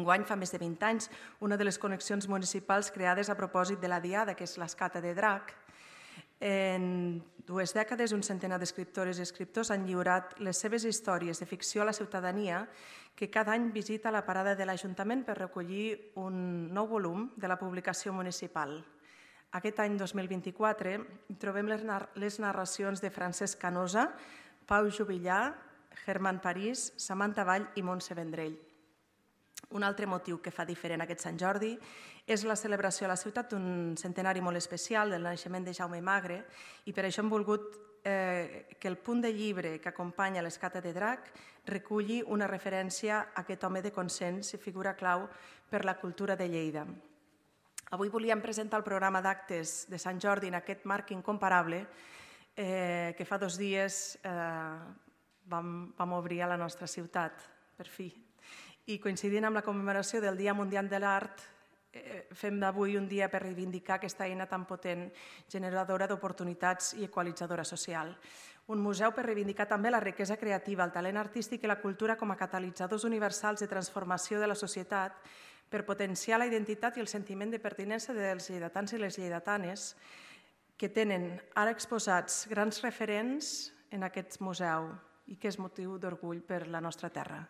Enguany, fa més de 20 anys, una de les connexions municipals creades a propòsit de la Diada, que és l'Escata de Drac. En 2 dècades, un centenar d'escriptores i escriptors han lliurat les seves històries de ficció a la ciutadania, que cada any visita la parada de l'Ajuntament per recollir un nou volum de la publicació municipal. Aquest any 2024 trobem les narracions de Francesc Canosa, Pau Juvillà, Germán París, Samantha Vall i Montse Vendrell. Un altre motiu que fa diferent aquest Sant Jordi és la celebració a la ciutat d'un centenari molt especial del naixement de Jaume Magre, i per això hem volgut que el punt de llibre que acompanya l'Escata de Drac reculli una referència a aquest home de consens i figura clau per la cultura de Lleida. Avui volíem presentar el programa d'actes de Sant Jordi en aquest marc incomparable que fa 2 dies vam obrir a la nostra ciutat, per fi. I coincidint amb la commemoració del Dia Mundial de l'Art, fem d'avui un dia per reivindicar aquesta eina tan potent, generadora d'oportunitats i equalitzadora social. Un museu per reivindicar també la riquesa creativa, el talent artístic i la cultura com a catalitzadors universals de transformació de la societat, per potenciar la identitat i el sentiment de pertinença dels lleidatans i les lleidatanes, que tenen ara exposats grans referents en aquest museu i que és motiu d'orgull per la nostra terra.